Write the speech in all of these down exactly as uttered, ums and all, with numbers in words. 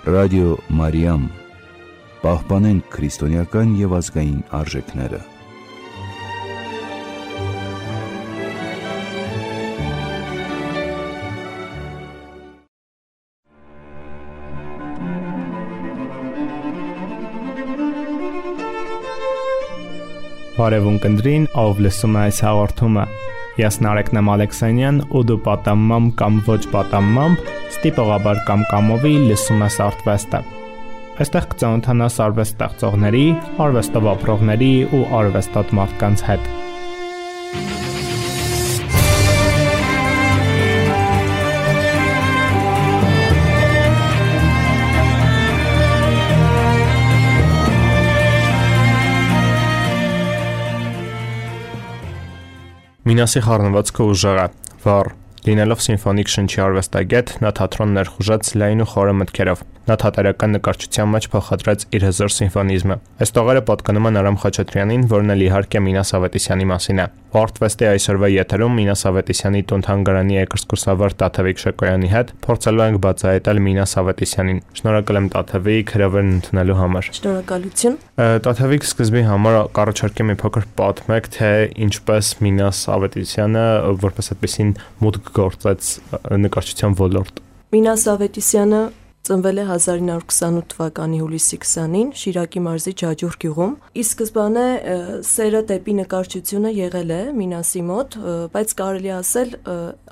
Ռադիո Մարիամ, պահպանենք քրիստոնեական և ազգային արժեքները։ Բարևուն կնդրին, ով լսում է այս հաղորդումը։ Ես Նարեկնեմ Ալեքսանյան ու դու պատամմամբ կամ ոչ պատամմամբ, ստիպողաբար կամ կամովի լսում ես Արթվեստը։ Այստեղ կծանոթանաս արվեստ ստեղծողների, արվեստով ապրողների ու արվեստոտ մարդկանց հետ։ Մինասի խառնվածքը ուժեղ է, վառ, լինելով սիմֆոնիկ շնչի արվեստագետ, նա թատրոն ներխուժեց լայն ու խորը մտքերով։ Նա թատերական նկարչության մեջ փոխադրեց իր հզոր սիմֆոնիզմը։ Այս տողերը պատկանում են Արամ Խաչատրյանին, որն էլ իհարկե Մինաս Ավետիսյանի մասին է։ Արթվեստի այսօրվա եթերում Մինաս Ավետիսյանի տուն-թանգարանի երկրսկսավար Տաթևիկ Շեկոյանի հետ փորձելու ենք բացահայտել Մինաս Ավետիսյանին։ Շնորհակալ եմ Տաթևիկ հրավերն ընդունելու համար։ Շնորհակալություն։ Տաթևիկ, սկզբի համար կառաջարկեմ մի փոքր պատմեք, թե ինչպես Մինաս Ավետիսյանը որպես այդպեսին մուտք գործեց նկարչության ոլորտ։ Մինաս Ավետիսյանը ծնվել է հազար ինը հարյուր քսանութ թվականի հուլիսի քսանին Շիրակի մարզի Ջաջուր գյուղում։ Ի սկզբանե սերը դեպի նկարչությունը եղել է Մինասի մոտ, բայց կարելի ասել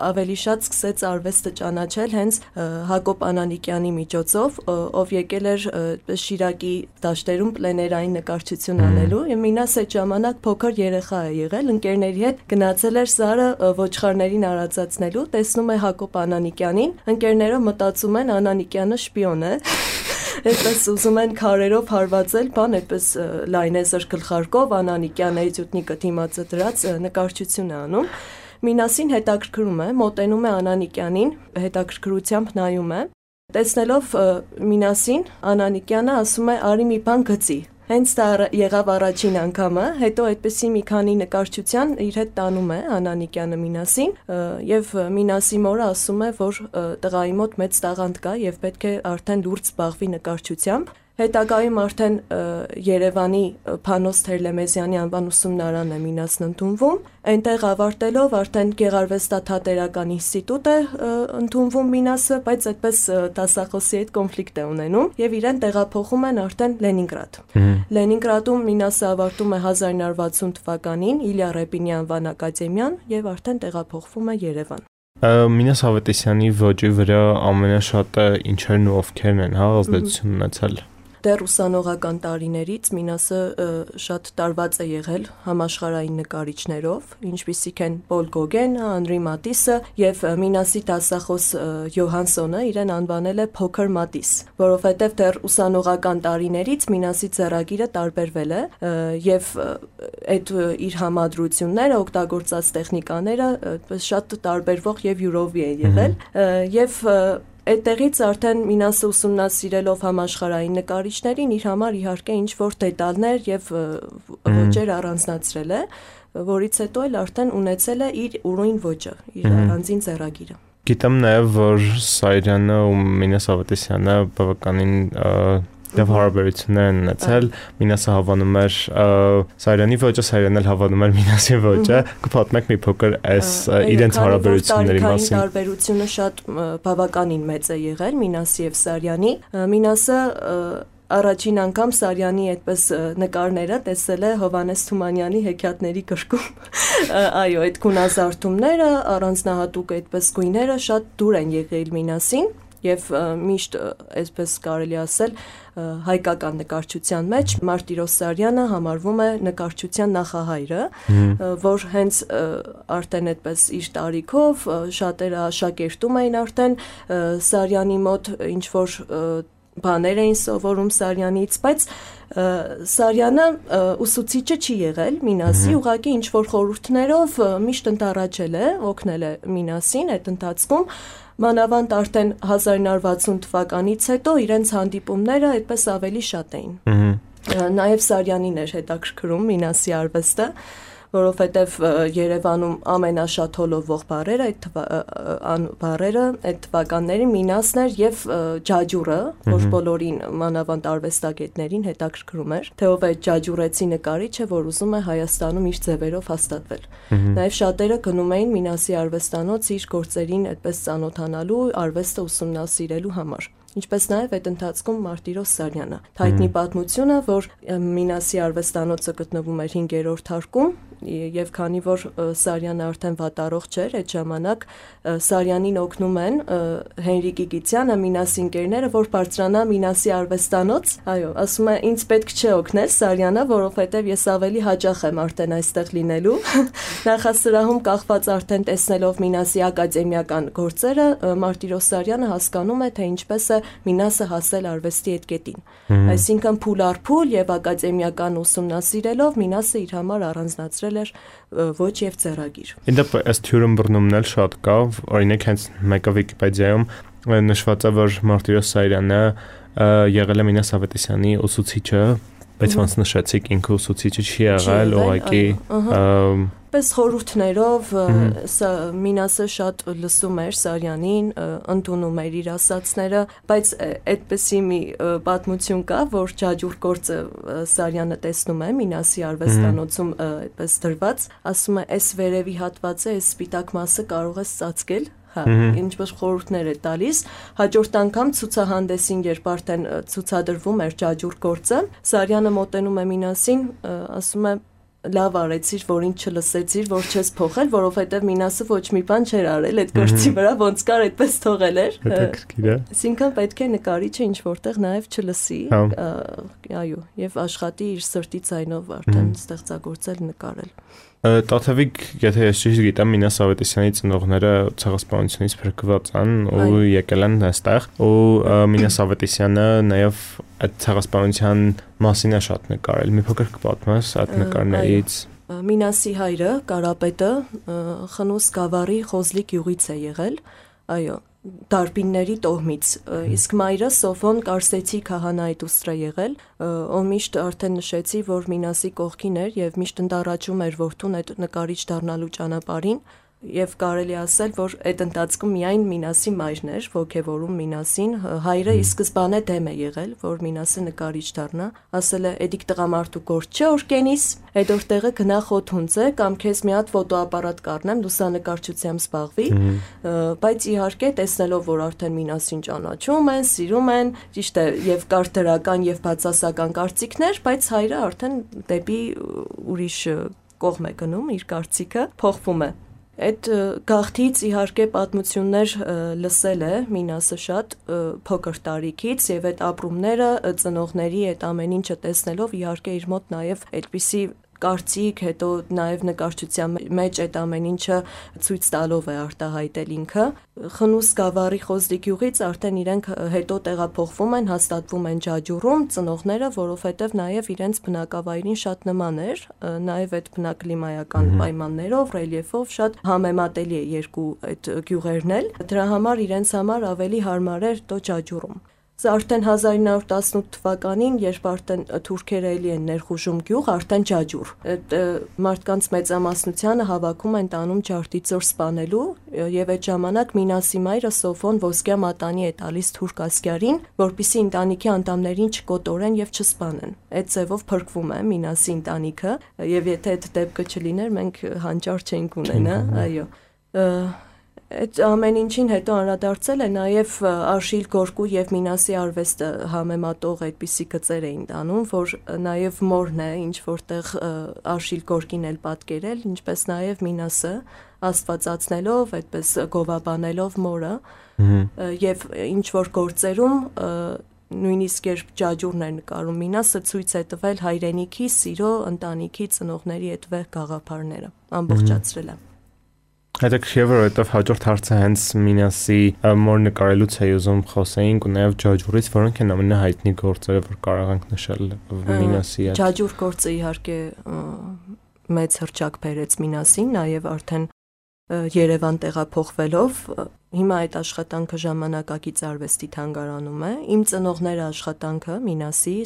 ավելի շատ սկսեց արվեստը ճանաչել հենց Հակոբ Անանիկյանի միջոցով, ով եկել էր Շիրակի դաշտերում պլեներային նկարչություն անելու, եւ Մինասը այդ ժամանակ փոքր երեխա է եղել, ընկերների հետ գնացել էր Սարը ոչխարներին արածացնելու, տեսնում է Հակոբ Անանիկյանին, ընկերները մտածում են Անանիկյանը շպիոն է, այդպես ուզում են քարերով հարվածել, բան այդպես լայնեզր գլխարկով Անանիկյանը էտյուդնիկը դիմացը դրած նկարչություն է անում։ Մինասին հետաքրքրում է, մոտենում է Անանիկյանին, հետաքրքրությամբ նայում է, տեսնելով Մինասին, Անանիկյանը ասում է՝ «Արի մի բան գծի»։ Հենց դա եղավ առաջին անգամը, հետո այդպեսի մի քանի նկարչության իր հետ տանում է Անանիկյանը Մինասին, եւ Մինասի մորը ասում է, որ տղայի մոտ մեծ տաղանդ կա եւ պետք է արդեն լուրջ զբաղվի նկարչությամբ։ Հետագայում արդեն Երևանի Փանոս Թերլեմեզյանի անվան ուսումնարան է Մինասն ընդունվում, այնտեղ ավարտելով արդեն Գեղարվեստաթատերական ինստիտուտ է ընդունվում Մինասը, բայց այդպես դասախոսի հետ կոնֆլիկտ է ունենում եւ իրեն տեղափոխում են արդեն Լենինգրադ։ Լենինգրադում Մինասը ավարտում է հազար ինը հարյուր վաթսուն թվականին Իլյա Ռեպինի անվան ակադեմիան եւ արդեն տեղափոխվում է Երևան։ Մինաս Ավետիսյանի ոճի վրա ամենաշատը ինչերն ու ովքերն են հա ազդեցություն ունեցել։ Դեռ ուսանողական տարիներից Մինասը շատ տարված է եղել համաշխարհային նկարիչներով, ինչպիսիք են Պոլ Գոգենը, Անրի Մատիսը եւ Մինասի դասախոս Յոհանսոնը իրեն անվանել է Փոքր Մատիս, որովհետեւ դեռ ուսանողական տարիներից Մինասի ձեռագիրը տարբերվել է եւ այդ իր համադրությունները, օգտագործած տեխնիկաները շատ տարբերվող եւ յուրովի են եղել եւ Այդտեղից արդեն Մինասը ուսումնասիրելով համաշխարհային նկարիչներին իր համար իհարկե ինչ-որ դետալներ եւ ոճեր առանձնացրել է, որից հետո էլ արդեն ունեցել է իր ուրույն ոճը, իր առանձին ձեռագիրը։ Գիտեմ նաեւ, որ Սարյանը ու Մինաս Ավետիսյանը բավականին Դեռ հարաբերություններ են ունեցել, Մինասը հավանում էր Սարյանի ոճը, Սարյանն էլ հավանում էր Մինասի ոճը, կպատմեք մի փոքր այս իրենց հարաբերությունների մասին։ Տարբերությունը շատ բավականին մեծ է եղել Մինասի եւ Սարյանի։ Մինասը առաջին անգամ Սարյանի այդպես նկարները տեսել է Հովհաննես Թումանյանի հեքիաթների գրքում։ Այո, այդ գունազարդումները, առանձնահատուկ այդպես գույները շատ դուր են եղել Մինասին։ Եվ միշտ այսպես կարելի ասել հայկական նկարչության մեջ Մարտիրոս Սարյանը համարվում է նկարչության նախահայրը, որ հենց արդեն այդպես իր տարիքով շատերը աշակերտում էին արդեն Սարյանի մոտ ինչ որ բաներ էին սովորում Սարյանից, բայց Սարյանը ուսուցիչը չի եղել Մինասի, ուղղակի ինչ որ խորհուրդներով միշտ ընտառաջել է, օգնել է Մինասին այդ ընթացքում։ Մանավանդ արդեն հազար ինը հարյուր վաթսուն թվականից հետո իրենց հանդիպումները այդպես ավելի շատ էին։ Նաև Սարյանին էր հետաքրքրում Մինասի արվեստը, որովհետև Երևանում ամենաշատ հոլովող բառերը այդ բառերը այդ թվականների Մինասն էր եւ Ջաջուրը, որ բոլորին մանավանդ արվեստագետներին հետաքրքրում էր, թե ով է ջաջուրեցի նկարիչը, որ ուզում է Հայաստանում իր ձևերով հաստատվել։ Նաեւ շատերը գնում էին Մինասի արվեստանոց իր գործերին այդպես ծանոթանալու, արվեստը ուսումնասիրելու համար։ Ինչպես նաև այդ ընթացքում Մարտիրոս Սարյանը։ Հայտնի պատմությունը, որ Մինասի արվեստանոցը գտնվում էր հինգերորդ հարկում, եւ քանի որ Սարյանը արդեն վատառողջ էր, այդ ժամանակ Սարյանին օգնում են Հենրիկ Գիգիցյանը, Մինասի ընկերները, որ բարձրանա Մինասի արվեստանոց։ Այո, ասում է, ինձ պետք չէ օգնել Սարյանը, որովհետեւ ես ավելի հաճախ եմ արդեն այստեղ լինելու։ Նախասրահում կախված արդեն տեսնելով Մինասի ակադեմիական գործերը, Մարտիրոս Սարյանը հասկանում է, թե ինչպես է Մինասը հասել արվեստի այդ կետին։ Այսինքն փուլ առ փուլ եւ ակադեմիական ուսումնասիրելով Մինասը իր համար առանձնացրել էր ոչ եւ ձեռագիր։ Իդեպ ըստ հյուրընբռնումն էլ շատ կա, օրինակ հենց մեկը Վիկիպեդիայում նշված է, որ Մարտիրոս Սարյանը եղել է Մինաս Ավետիսյանի ուսուցիչը, բայց ոնց նշեցիք, ինքը ուսուցիչը չի եղել, ուղղակի պես խորհուրդներով Մինասը շատ լսում էր Սարյանին, ընդունում էր իր ասածները, բայց այդպեսի մի պատմություն կա, որ Ջաջուր գործը Սարյանը տեսնում է Մինասի արվեստանոցում այդպես դրված, ասում է, «Էս վերևի հատվածը, այս սպիտակ մասը կարող ես ծածկել»։ Հա, ինչպես խորհուրդներ է տալիս, հաջորդ անգամ ցուցահանդեսին, երբ արդեն ցուցադրվում էր Ջաջուր գործը, Սարյանը մոտենում է Մինասին, ասում է, լավ արեցիր, որ ինձ չլսեցիր, որ չես փոխել, որովհետև Մինասը ոչ մի բան չէր արել այդ գործի վրա, ոնց կար այդպես թողել էր։ Հետաքրքիր է։ Այսինքն պետք է նկարիչը ինչ որտեղ նաև չլսի, այո, եւ աշխատի իր սրտի ձայնով արդեն ստեղծագործել, նկարել։ Տաթևիկ, եթե ես ճիշտ գիտեմ, Մինաս Ավետիսյանի ծնողները ցեղասպանությունից փրկված են ու եկել են այստեղ, ու Մինաս Ավետիսյանը նաև այդ ցեղասպանության մասին է շատ նկարել։ Մի փոքր կպատմես այդ նկարներից։ Մինասի հայրը, Կարապետը, Խնուս Գավառի Խոզլի գյուղից է եղել, այո, Դարբինների տոհմից, իսկ մայրը Սոֆոն Կարսեցի քահանայի դուստր է եղել, ով միշտ արդեն նշեցի, որ Մինասի կողքին էր եւ միշտ ընդառաջում էր որդուն այդ նկարիչ դառնալու ճանապարհին, եւ կարելի ասել, որ այդ ընթացքում միայն Մինասի մայրն էր ոգևորում Մինասին, հայրը ի սկզբանե դեմ է եղել, որ Մինասը նկարիչ դառնա, ասել է, «Էդիկ տղամարդու գործ չէ, որ կենիս, այդ օրտեղը գնա խոթունձե կամ քեզ մի հատ ֆոտոապարատ կառնեմ, լուսանկարչությամբ զբաղվի», բայց իհարկե տեսնելով, որ արդեն Մինասին ճանաչում են, սիրում են, ճիշտ է, եւ կար դրական եւ բացասական կարծիքներ, բայց հայրը արդեն դեպի ուրիշ կողմ է գնում, իր կարծիքը փոխվում է։ Այդ գաղթից իհարկե պատմություններ լսել է Մինասը շատ փոքր տարիքից եւ այդ ապրումները ծնողների այդ ամեն ինչը տեսնելով իհարկե իր մոտ նաեւ այդպիսի կարծիք, հետո նաև նկարչության մեջ այդ ամեն ինչը ցույց տալով է արտահայտել ինքը։ Խնուս Գավառի Խոզլի գյուղից արդեն իրենք հետո տեղափոխվում են, հաստատվում են Ջաջուրում, ծնողները, որովհետև նաև իրենց բնակավայրին շատ նման էր, նաև այդ բնակլիմայական պայմաններով, ռելիեֆով շատ համեմատելի է երկու այդ գյուղերն էլ։ Դրա համար իրենց համար ավելի հարմար էր դո Ջաջուրում։ Սա արդեն հազար ինը հարյուր տասնութ թվականին, երբ արդեն թուրքերը էլի են ներխուժում գյուղ, արդեն Ջաջուր։ Այդ մարդկանց մեծամասնությանը հավաքում են տանում Ջարդիծոր սպանելու, եւ այդ ժամանակ Մինասի մայրը Սոֆոն ոսկյա մատանի է տալիս թուրք ասկյարին, որպեսզի ընտանիքի անդամներին չկոտորեն եւ չսպանեն։ Այդ ձևով փրկվում է Մինասի ընտանիքը, եւ եթե այդ դեպքը չլիներ, մենք հանճար չենք ունենա, այո։ Այդ ամեն ինչին հետո անդրադարձել է նաև Արշիլ Գորկու եւ Մինասի արվեստը համեմատող այդպիսի գծեր էին տանում, որ նաև մորն է ինչ որտեղ Արշիլ Գորկին էլ պատկերել, ինչպես նաև Մինասը աստվածացնելով, այդպես գովաբանելով մորը եւ ինչ որ գործերում նույնիսկ երբ Ջաջուրն էր նկարում Մինասը ցույց է տվել հայրենիքի, սիրո, ընտանիքի, ծնողների այդ վեհ գաղափարները, ամբողջացրել է։ Հետաքրքիր է, որովհետև հաջորդ հարցը հենց Մինասի մոր նկարելուց է ուզում խոսեինք ու նաև Ջաջուրից, որոնք են ամենահայտնի գործերը, որ կարող ենք նշել Մինասի։ Ջաջուր գործը իհարկե մեծ հռչակ բերեց Մինասին, նաև արդեն Երևան տեղափոխվելով, հիմա այդ աշխատանքը ժամանակակից արվեստի թանգարանում է։ Իմ ծնողները աշխատանքը Մինասի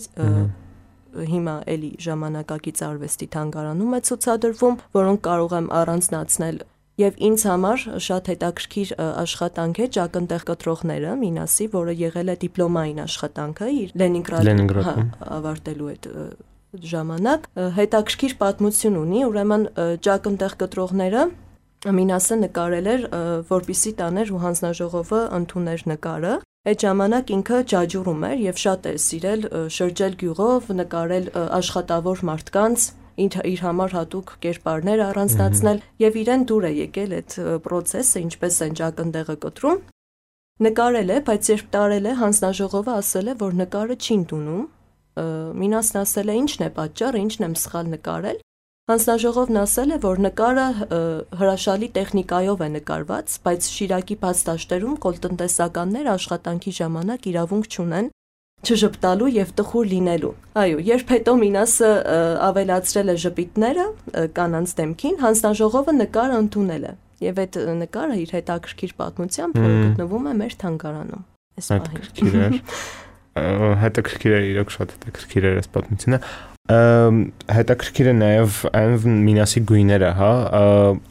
հիմա էլի ժամանակակից արվեստի թանգարանում է ցուցադրվում, որոնք կարող եմ առանձնացնել Եվ ինձ համար շատ հետաքրքիր աշխատանք է ճակնդեղ կտրողները Մինասի, որը եղել է դիպլոմային աշխատանքը իր Լենինգրադում ավարտելու այդ ժամանակ, հետաքրքիր պատմություն ունի, ուրեմն ճակնդեղ կտրողները Մինասը նկարել էր, որպեսզի տաներ ու հանձնաժողովը ընդուներ նկարը։ Այդ ժամանակ ինքը ջաջուրում էր եւ շատ է սիրել շրջել գյուղով, նկարել աշխատավոր մարդկանց, իր համար հատուկ կերպարներ առանձնացնել եւ իրեն դուր է եկել այդ process-ը, ինչպես են ճակնդեղը կտրում։ Նկարել է, բայց երբ տարել է, հանձնաժողովը ասել է, որ նկարը չի ընդունում։ Մինասն ասել է, ինչն է պատճառը, ինչն եմ սխալ նկարել։ Հանձնաժողովն ասել է, որ նկարը հրաշալի տեխնիկայով է նկարված, բայց Շիրակի բաց դաշտերում կոլտնտեսականներ աշխատանքի ժամանակ իրավունք չունեն չժպտալու եւ տխուր լինելու։ Այո, երբ հետո Մինասը ավելացրել է ժպիտները կանանց դեմքին, հանձնաժողովը նկարը ընդունել է։ Եվ այդ նկարը իր հետաքրքիր պատմությամբ, որը գտնվում է մեր թանգարանում։ Այս պահին։ Հետաքրքիր է, իրոք շատ հետաքրքիր է այս պատմությունը։ Հետաքրքիր է նաև այն Մինասի գույները, հա,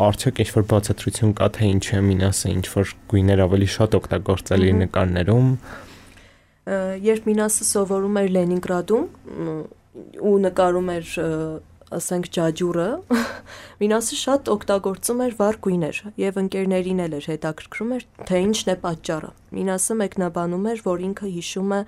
արդյոք ինչ-որ բացատրություն կա, թե ինչ է Մինասը, ինչ-որ գույներ ավելի շատ օգտագործել իր նկարներում։ Երբ Մինասը սովորում էր Լենինգրադում ու նկարում էր, ասենք, ջաջուրը, Մինասը շատ օգտագործում էր վառ գույներ եւ ընկերներին էլ էր հետաքրքրում էր, թե ինչն է պատճառը։ Մինասը մեկնաբանում էր, որ ինքը հիշում է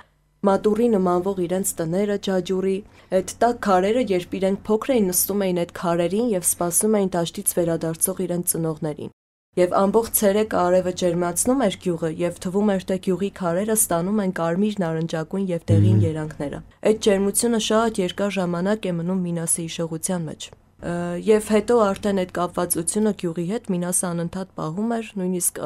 մատուրի նմանվող իրենց տները ջաջուրի, այդ տաք քարերը, երբ իրենք փոքր էին, նստում էին այդ քարերին եւ սպասում էին դաշտից վերադարձող իրենց ծնողներին։ Եվ ամբողջ ցերեկը արևը ջերմացնում էր գյուղը եւ թվում էր, թե գյուղի քարերը ստանում են կարմիր, նարնջագույն եւ դեղին երանգները։ Այդ ջերմությունը շատ երկար ժամանակ է մնում Մինասի հիշողության մեջ։ Եվ հետո արդեն այդ կապվածությունը գյուղի հետ Մինասը անընդհատ պահում էր, նույնիսկ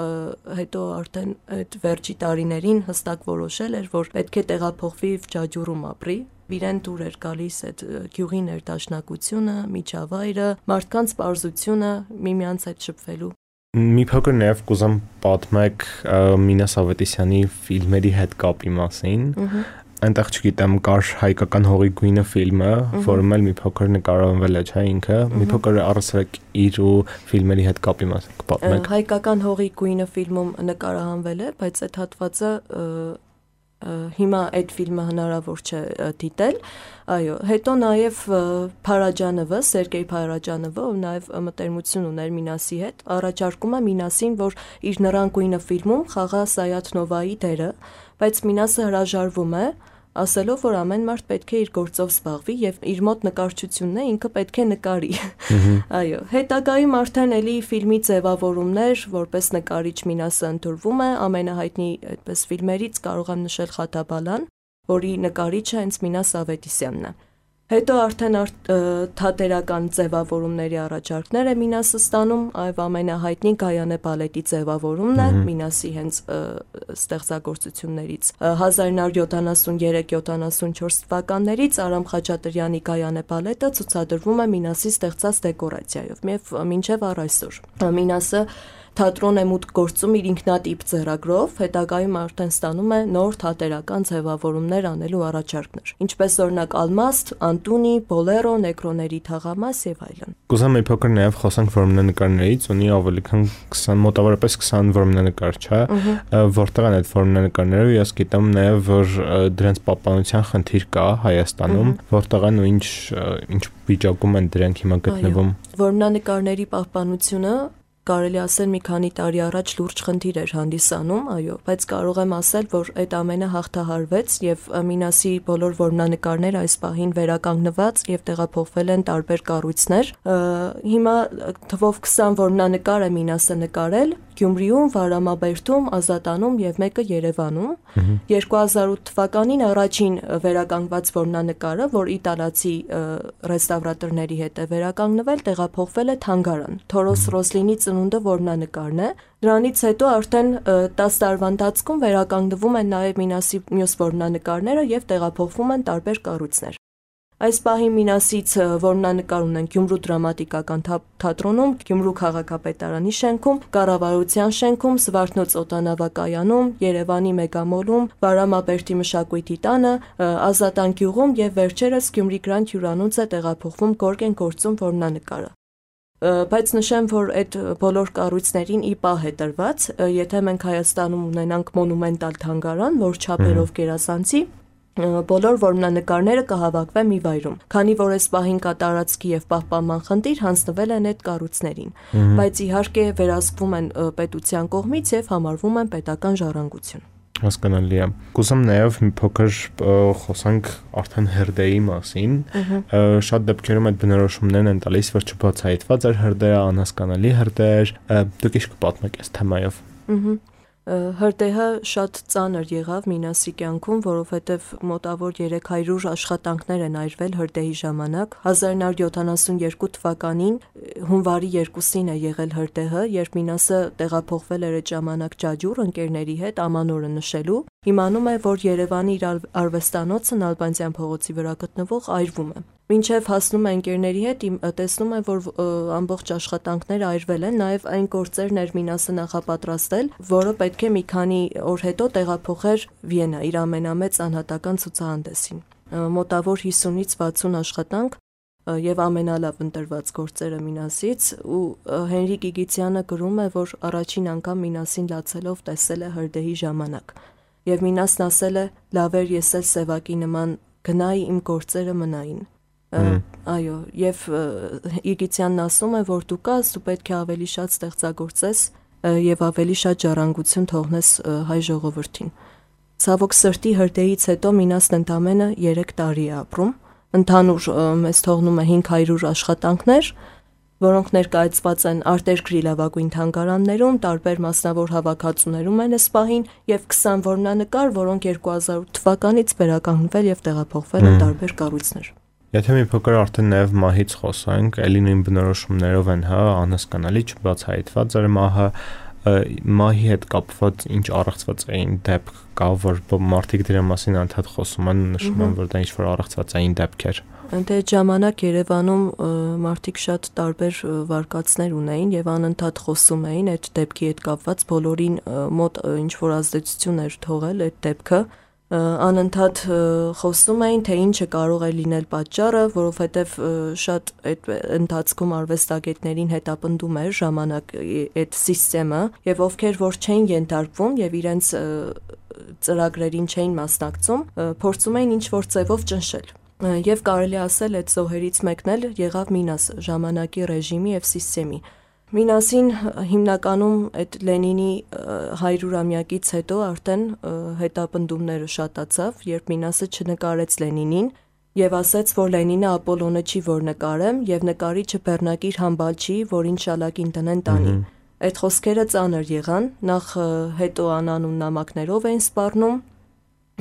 հետո արդեն այդ վերջի տարիներին հստակ որոշել էր, որ պետք է տեղափոխվի ջաջուրում ապրի։ Իրեն դուր էր գալիս այդ գյուղի ներդաշնակությունը, միջավայրը, մարդկանց պարզությունը, միմյանց հետ շփվելու։ Մի փոքր նաև կուզեմ պատմեք Մինաս Ավետիսյանի ֆիլմերի հետ կապի մասին։ Այնտեղ չգիտեմ, կար հայկական հողի գույնը ֆիլմը, որում էլ մի փոքր նկարահանվել է, չէ՞ ինքը։ Մի փոքր առասարակ իր ու ֆիլմերի հետ կապի մասին կպատմեք։ Հայկական հողի գույնը ֆիլմում նկարահանվել է, բայց այդ հատվածը հիմա այդ ֆիլմը հնարավոր չէ դիտել։ Այո, հետո նաև Փարաջանովը, Սերգեյ Փարաջանովը, ով նաև մտերմություն ուներ Մինասի հետ, առաջարկում է Մինասին, որ իր Նրան գույնը ֆիլմում խաղա Սայաթ-Նովայի դերը, բայց Մինասը հրաժարվում է, ասելով, որ ամեն մարդ պետք է իր գործով զբաղվի եւ իր մոտ նկարչությունն է, ինքը պետք է նկարի։ Այո, հետագայում արդեն էլի ֆիլմի ձևավորումներ, որպես նկարիչ Մինասը ընտրվում է, ամենահայտնի այդպես ֆիլմերից կարող եմ նշել Խաթաբալան, որի նկարիչը հենց Մինաս Ավետիսյանն է։ Հետո արդեն թատերական ձևավորումների առաջարկներ է Մինասը ստանում, այվ ամենահայտնի Գայանե բալետի ձևավորումն է Մինասի հենց ստեղծագործություններից։ հազար ինը հարյուր յոթանասունյոթ յոթանասունչորս թվականներից Արամ Խաչատրյանի Գայանե բալետը ցուցադրվում է Մինասի ստեղծած դեկորացիայով, եւ մինչեւ առ այսօր։ Մինասը թատրոն է մուտք գործում իր ինքնատիպ ձեռագրով, հետագայում արդեն ստանում է նոր թատերական ձևավորումներ անելու առաջարկներ, ինչպես օրինակ Ալմաստ, Անտունի, Բոլերո, Նեկրոների թաղամաս եւ այլն։ Կուզեմ մի փոքր նաեւ խոսանք որմնանկարներից, ունի ավելի քան քսան, մոտավորապես քսան որմնանկար, չէ՞, որտեղ են այդ որմնանկարները, ես գիտեմ նաեւ, որ դրանց պահպանության խնդիր կա Հայաստանում, որտեղ են ու ինչ ինչ վիճակում են դրանք հիմա գտնվում։ Որմնանկարների պահպանությունը կարելի ասել մի քանի տարի առաջ լուրջ խնդիր էր հանդիսանում, այո, բայց կարող եմ ասել, որ այդ ամենը հաղթահարվեց եւ Մինասի բոլոր որմնանկարները այս պահին վերականգնված եւ տեղափոխվել են տարբեր կառույցներ։ Հիմա թվով քսան որմնանկար է Մինասը նկարել Գյումրիում, Վարամաբերդում, Ազատանում եւ մեկը Երևանում։ երկու հազար ութ թվականին առաջին վերականգնված որմնանկարը, որ իտալացի ռեստավրատորների հետ է վերականգնվել, տեղափոխվել է թանգարան։ Թորոս Ռոսլինի ծնունդը որմնանկարն է։ Դրանից հետո արդեն տասը տարվա ընթացքում վերականգնվում են նաև Մինասի մյուս որմնանկարները եւ տեղափոխվում են տարբեր կառույցներ։ Այս պահին Մինասից որմնանկար ունեն Գյումրու դրամատիկական թատրոնում, Գյումրու քաղաքապետարանի շենքում, Կառավարության շենքում, Զվարթնոց օդանավակայանում, Երևանի Մեգամոլում, Վարամաբերդի մշակույթի տանը, Ազատան գյուղում եւ վերջերս Գյումրի Գրանդ հյուրանոց է տեղափոխվում Գորգեն գործում որմնանկարը։ Բայց նշեմ, որ այդ բոլոր կառույցներին ի պահ է տրված, եթե մենք Հայաստանում ունենանք մոնումենտալ թանգարան, որ չափերով գերազանցի, բոլոր որմնանկարները կհավաքվեն մի վայրում, քանի որ այս պահին կա տարածքի եւ պահպանման խնդիր, հանձնվել են այդ կառույցներին, բայց իհարկե վերահսկվում են պետության կողմից եւ համարվում են պետական ժառանգություն։ Հասկանալի է։ Կուզեմ նաև մի փոքր խոսանք արդեն հրդեհի մասին։ Շատ դեպքերում այդ բնորոշումներն են տալիս, որ չբացահայտված էր հրդեհը, անհասկանալի հրդեհ էր։ Դուք ինչ կպատմեք այս թեմայով։ Հրդեհը շատ ծանր եղավ Մինասի կյանքում, որովհետև մոտավոր երեք հարյուր աշխատանքներ են այրվել հրդեհի ժամանակ։ հազար նոր յոթանասունյոթ թվականին հունվարի երկուսին է եղել հրդեհը, երբ Մինասը տեղափոխվել էր այդ ժամանակ Ջաջուր ընկերների հետ ամանորը նշելու։ Իմանում է, որ Երևանի իր արվեստանոցը Նալբանդյան փողոցի վրա գտնվող այրվում է։ Մինչև հասնում է ընկերների հետ, տեսնում է, որ ամբողջ աշխատանքները այրվել են, նաև այն գործերն էր Մինասը նախապատրաստել, որը պետք է մի քանի օր հետո տեղափոխեր Վիեննա իր ամենամեծ անհատական ցուցահանդեսին։ Մոտավոր հիսունից վաթսուն աշխատանք եւ ամենալավ ընտրված գործերը Մինասից, ու Հենրիկ Գիգիցյանը գրում է, որ առաջին անգամ Մինասին լացելով տեսել է հրդեհի ժամանակ։ Եվ Մինասն ասել է. «Լավ էր ես էլ Սևակի նման գնայի, իմ գործերը մնային»։ Այո, եւ Իգիցյանն ասում է, որ դու կաս, դու պետք է ավելի շատ ստեղծագործես եւ ավելի շատ ժառանգություն թողնես հայ ժողովրդին։ Ցավոք սրտի հրդեհից հետո Մինասն ընդամենը երեք տարի է ապրում։ Ընդհանուր մեզ թողնում է հինգ հարյուր աշխատանքներ, որոնք ներկայացված են արտերկրի լավագույն թանգարաններում, տարբեր մասնավոր հավաքածուներում են այս պահին, եւ քսան որմնանկար, որոնք երկու հազար ութ թվականից վերականգնվել եւ տեղափոխվել են տարբեր կառույցներ։ Եթե մի փոքր արդեն նաև մահից խոսանք, ելի նույն բնորոշումներով են, հա, անհասկանալի չբացահայտված էր մահը, մահի հետ կապված ինչ առեղծված էին դեպք կա, որ մարդիկ դրա մասին անդադ խոսում են, նշում են, որ դա ինչ-որ առեղծվածային դեպքեր։ Դե ժամանակ Երևանում մարդիկ շատ տարբեր վարկածներ ունեին եւ անընդհատ խոսում էին այդ դեպքի հետ կապված, բոլորին մոտ ինչ-որ ազդեցություն էր թողել այդ դեպքը։ Անընդհատ խոսում էին, թե ինչը կարող է լինել պատճառը, որովհետև շատ այդ ընթացքում արվեստագետներին հետապնդում էր ժամանակ այդ սիստեմը, եւ ովքեր որ չէին ենթարկվում եւ իրենց ծրագրերին չէին մասնակցում, փորձում էին ինչ-որ ձևով ճնշել։ Եվ կարելի ասել այդ զոհերից մեկն էլ եղավ Մինասը, ժամանակի ռեժիմի եւ սիստեմի։ Մինասին հիմնականում այդ Լենինի հարյուրամյակից հետո արդեն հետապնդումները շատացավ, երբ Մինասը չնկարեց Լենինին եւ ասաց, որ Լենինը Ապոլոնը չի, որ նկարեմ, եւ նկարիչը Բեռնակիր Համբալ չի, որին շալակին տնեն տանի։ Այդ խոսքերը ծանր եղան, նախ հետո անանուն նամակներով էին սպառնում,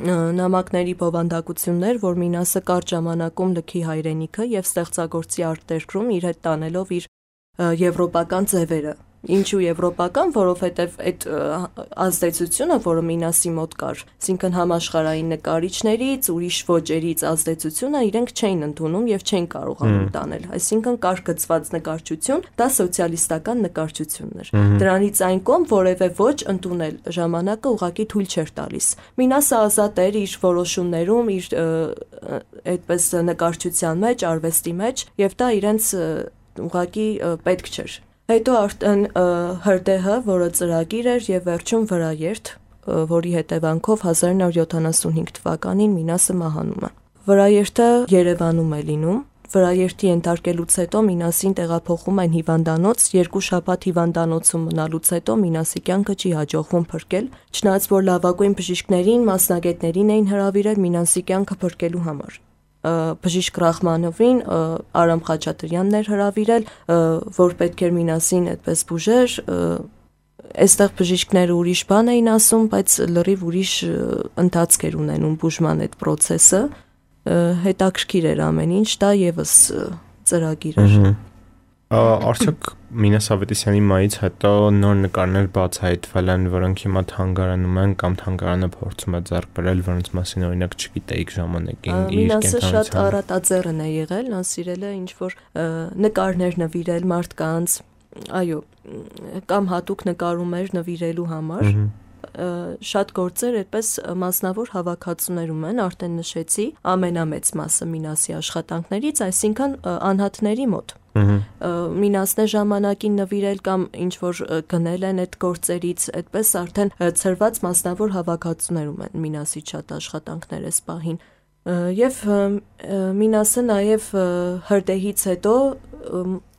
նամակների բովանդակություններ, որ Մինասը կարճ ժամանակում լքի հայրենիքը եւ ստեղծագործի արտերկրում իր հետ տանելով իր եվրոպական ձևերը։ Ինչու եվրոպական, որովհետև այդ ազդեցությունը, որը Մինասի մոտ կար, այսինքն համաշխարհային նկարիչներից, ուրիշ ոճերից ազդեցությունը իրենք չէին ընդունում եւ չէին կարողանում տանել։ Այսինքն կար գծված նկարչություն, դա սոցիալիստական նկարչությունն էր։ Դրանից այն կողմ որևէ ոչ ընդունել ժամանակը ուղղակի թույլ չէր տալիս։ Մինասը ազատ էր իր որոշումներում, իր այդպես նկարչության մեջ, արվեստի մեջ, եւ դա իրենց ուղղակի պետք չէր։ Հետո արդեն հրդեհը, որը ծրագիր էր եւ վերջում վրաերթ, որի հետևանքով հազար նոր յոթանասունհինգ թվականին Մինասը մահանում է։ Վրաերթը Երևանում է լինում։ Վրաերթի ենթարկելուց հետո Մինասին տեղափոխում են հիվանդանոց, երկու շաբաթ հիվանդանոցում մնալուց հետո Մինասի կյանքը չի հաջողվում փրկել, չնայած որ լավագույն բժիշկներին, մասնագետներին էին հրավիրել Մինասի կյանքը փրկելու համար։ Բժիշկ Ռախմանովին Արամ Խաչատրյանն էր հրավիրել, որ պետք էր Մինասին այդպես բուժեր, այստեղ բժիշկները ուրիշ բան էին ասում, բայց լրիվ ուրիշ ընթացք էր ունենում բուժման այդ process-ը, հետաքրքիր էր ամեն ինչ, դա եւս ծրագիր էր։ Արդյոք Մինաս Ավետիսյանի մայից հետո նոր նկարներ բացահայտվել են, որոնք հիմա թանգարանում են կամ թանգարանը փորձում է ձեռք բերել, որոնց մասին օրինակ չգիտեիք ժամանակին իր Մինասը շատ առատաձեռն է եղել, նա սիրել է ինչ-որ նկարներ նվիրել մարդկանց, այո, կամ հատուկ նկարում էր նվիրելու համար, շատ գործեր այդպես մասնավոր հավաքածուներում են, արդեն նշեցի, ամենամեծ մասը Մինասի աշխատանքներից, այսինքն անհատների մոտ։ Մինասն է ժամանակին նվիրել կամ ինչ-որ գնել են այդ գործերից, այդպես արդեն ցրված մասնավոր հավաքածուներում են Մինասի շատ աշխատանքներ էս պահին։ Եվ Մինասը նաև հրդեհից հետո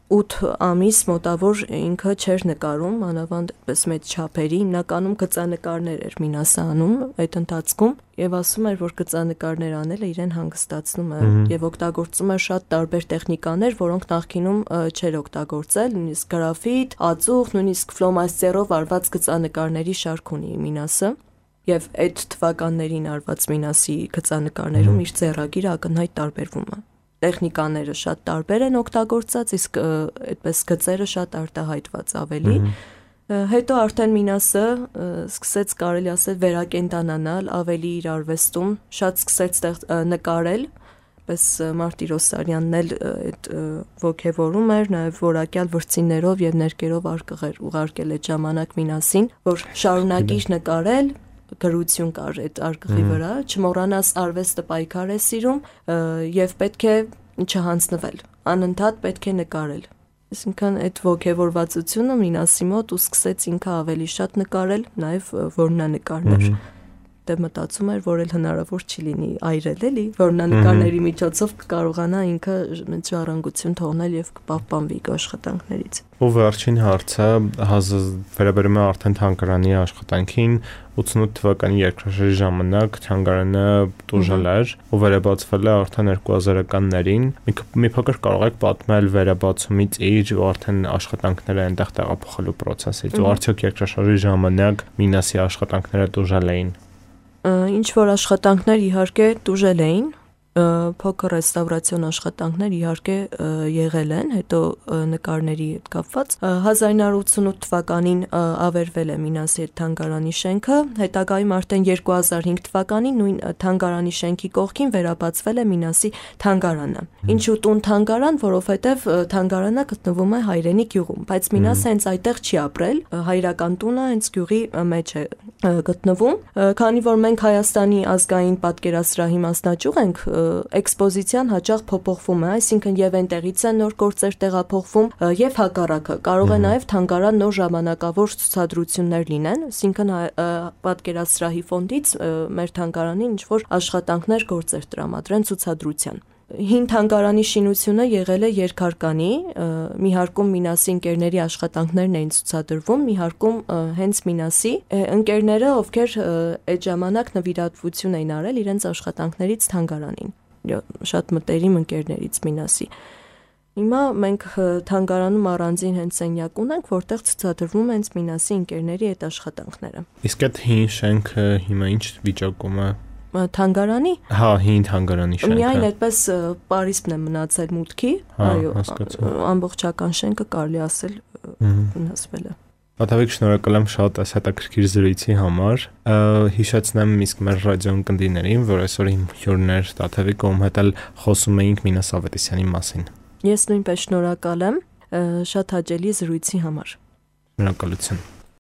ութ ամիս մոտավոր ինքը չէր նկարում, մանավանդ այդպես մեծ չափերի, հիմնականում գծանկարներ էր Մինասը անում այդ ընթացքում եւ ասում էր, որ գծանկարներ անելը իրեն հանգստացնում է եւ օգտագործում է շատ տարբեր տեխնիկաներ, որոնք նախկինում չէր օգտագործել, նույնիսկ գրաֆիտ, ածուխ, նույնիսկ ֆլոմաստերով արված գծանկարների շարք ունի Մինասը։ Եվ այդ թվականներին արված Մինասի գծանկարներում իր ձեռագիրը ակնհայտ տարբերվում է։ Տեխնիկաները շատ տարբեր են օգտագործած, իսկ այդպես գծերը շատ արտահայտված ավելի։ Հետո արդեն Մինասը սկսեց, կարելի ասել, վերակենդանանալ ավելի իր արվեստում, շատ սկսեց նկարել, պես Մարտիրոսարյանն էլ այդ ոգևորում էր, նաև որակյալ վրձիններով եւ ներկերով արկղեր ուղարկել այդ ժամանակ Մինասին, որ շարունակիր նկարել, գրություն կար այդ արկղի վրա, չմոռանաս արվեստը պայքար է սիրում եւ պետք է չհանձնվել, անընդհատ պետք է նկարել։ Այսինքն այդ ոգևորվածությունը Մինասի մոտ ու սկսեց ինքը ավելի շատ նկարել, նաեւ որմնանկարներ։ Դե մտածում էր, որ էլ հնարավոր չի լինի այրել էլի, որմնանկարների միջոցով կկարողանա ինքը մեծ ժառանգություն թողնել եւ կպահպանվի աշխատանքներից։ Ու վերջին հարցը վերաբերում է արդեն թանգարանի աշխատանքին, ութսունութ թվականի երկրաշարժի ժամանակ թանգարանը տուժել էր ու վերաբացվել է արդեն երկու հազարականներին։ Մի փոքր կարող եք պատմել վերաբացումից իր ու արդեն աշխատանքները այնտեղ տեղափոխելու process-ից ու արդյոք երկրաշարժի ժամանակ Մինասի աշխատանքները տուժել էին։ Ինչ որ աշխատանքներ իհարկե տուժել էին, փոքր ռեստավրացիոն աշխատանքներ իհարկե եղել են, հետո նկարների հետ կապված։ հազար ինը հարյուր ութսունութ թվականին ավերվել է Մինասի այդ թանգարանի շենքը, հետագայում արդեն երկու հազար հինգ թվականին նույն թանգարանի շենքի կողքին վերաբացվել է Մինասի թանգարանը։ Ինչու տուն թանգարան, որովհետև թանգարանը գտնվում է Հայրենի գյուղում, բայց Մինասը հենց այդտեղ չի ապրել, հայրական տունը հենց գյուղի մեջ է գտնվում, քանի որ մենք Հայաստանի ազգային պատկերասրահի մասնաճյուղ ենք, էքսպոզիցիան հաճախ փոփոխվում է, այսինքն եւ այնտեղից են նոր գործեր տեղափոխվում եւ հակառակը։ Կարող է նաեւ թանգարան նոր ժամանակավոր ցուցադրություններ լինեն, այսինքն պատկերասրահի ֆոնդից մեր թանգարանին ինչ որ աշխատանքներ, գործեր տրամադրեն ցուցադրության։ Հին թանգարանի շինությունը եղել է երկհարկանի, մի հարկում Մինասի ընկերների աշխատանքներն էին ցուցադրվում, մի հարկում հենց Մինասի ընկերները, ովքեր այդ ժամանակ նվիրատվություն էին արել իրենց աշխատանքներից թանգարանին, շատ մտերիմ ընկերներից Մինասի։ Հիմա մենք թանգարանում առանձին հենց սենյակ ունենք, որտեղ ցուցադրվում են Մինասի ընկերների այդ աշխատանքները։ Իսկ այդ հին շենքը հիմա ինչ վիճակում է։ Թանգարանի։ Հա, հին թանգարանի շենքը։ Միայն այդպես Պարիսպն է մնացել մուտքի, այո, ամբողջական շենքը կարելի ասել վնասվել է։ Պատավիկ շնորհակալ եմ շատ այս հետաքրքիր զրույցի համար։ Հիշեցնեմ իսկ մեր ռադիոն կնդիներին, որ այսօր իմ հյուրներ Տաթևիկ ում հետ էլ խոսում էինք Մինաս Ավետիսյանի մասին։ Ես նույնպես շնորհակալ եմ շատ հաճելի զրույցի համար։ Շնորհակալություն։